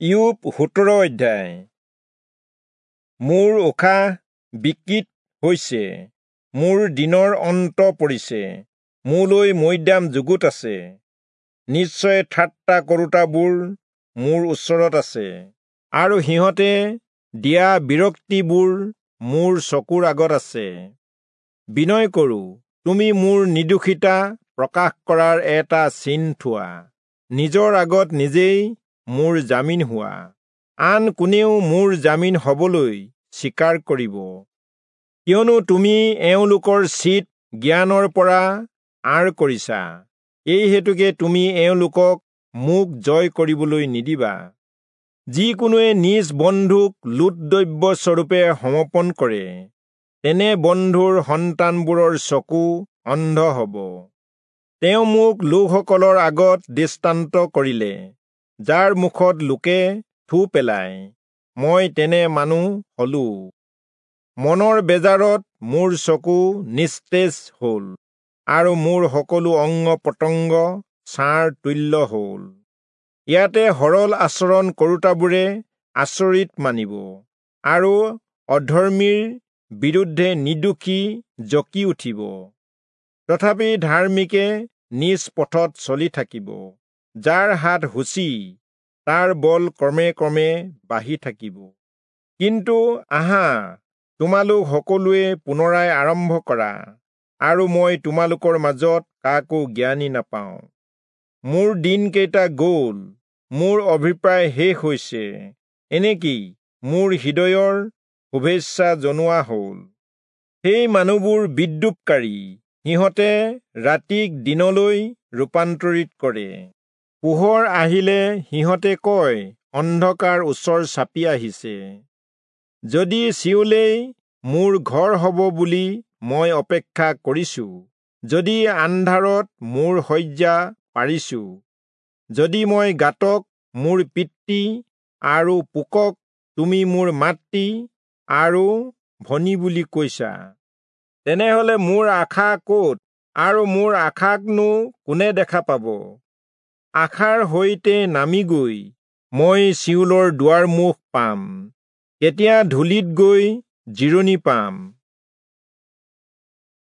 ইয়োব 17 অধ্যায়। মোৰ উশাহ বিকৃত হৈছে, মোৰ দিনৰ অন্ত পৰিছে, মোলৈ মৈদাম যুগুত আছে। নিশ্চয় ঠাট্টা কৰোতাবোৰ মোৰ ওচৰত আছে, আৰু সিহঁতে দিয়া বিৰক্তিবোৰ মোৰ চকুৰ আগত আছে। বিনয় কৰোঁ, তুমি মোৰ নিৰ্দোষিতা প্ৰকাশ কৰাৰ এটা চিন থোৱা, নিজৰ আগত নিজেই মোৰ জামিন হোৱা। আন কোনেও মোৰ জামিন হবলৈ স্বীকাৰ কৰিব, কিয়নো তুমি এওঁলোকৰ চিত জ্ঞানৰ পৰা আঁৰ কৰিছা। এই হেতুকে তুমি এওঁলোকক মোক জয় কৰিবলৈ নিদিবা। যিকোনোৱে নিজ বন্ধুক লুটদ্ৰব্য স্বৰূপে সমৰ্পণ কৰে, তেনে বন্ধুৰ সন্তানবোৰৰ চকু অন্ধ হব। তেওঁ মোক লোকসকলৰ আগত দৃষ্টান্ত কৰিলে, যাৰ মুখত লোকে থু পেলায়, মই তেনে মানুহ হলো। মনৰ বেজাৰত মোৰ চকু নিস্তেজ হল, আৰু মোৰ সকলো অংগ প্ৰত্যংগ ছাঁৰ তুল্য হল। ইয়াতে সৰল আচৰণ কৰোতাবোৰে আচৰিত মানিব, আৰু অধৰ্মীৰ বিৰুদ্ধে নিৰ্দোষী জকি উঠিব। তথাপি ধাৰ্মিকে নিজ পথত চলি থাকিব, যাৰ হাত সূচী তাৰ বল ক্ৰমে ক্ৰমে বাঢ়ি থাকিব। কিন্তু আহা, তোমালোক সকলোৱে পুনৰাই আৰম্ভ কৰা, আৰু মই তোমালোকৰ মাজত কাকো জ্ঞানী নাপাওঁ। মোৰ দিনকেইটা গ'ল, মোৰ অভিপ্ৰায় শেষ হৈছে, এনেকি মোৰ হৃদয়ৰ শুভেচ্ছা জনোৱা হ'ল। সেই মানুহবোৰ বিদ্ৰূপকাৰী, সিহঁতে ৰাতিক দিনলৈ ৰূপান্তৰিত কৰে। পোহৰ আহিলে সিহঁতে কয়, অন্ধকাৰ ওচৰ চাপি আহিছে। যদি চিয়োলেই মোৰ ঘৰ হব বুলি মই অপেক্ষা কৰিছো, যদি আন্ধাৰত মোৰ শয্যা পাৰিছো, যদি মই গাতক মোৰ পিতৃ আৰু পোকক তুমি মোৰ মাতৃ আৰু ভনী বুলি কৈছা, তেনেহলে মোৰ আশা ক'ত, আৰু মোৰ আশাকনো কোনে দেখা পাব? আশাৰ সৈতে নামি গৈ মই চিয়োলৰ দুৱাৰমুখ পাম, কেতিয়া ধূলিত গৈ জিৰণি পাম।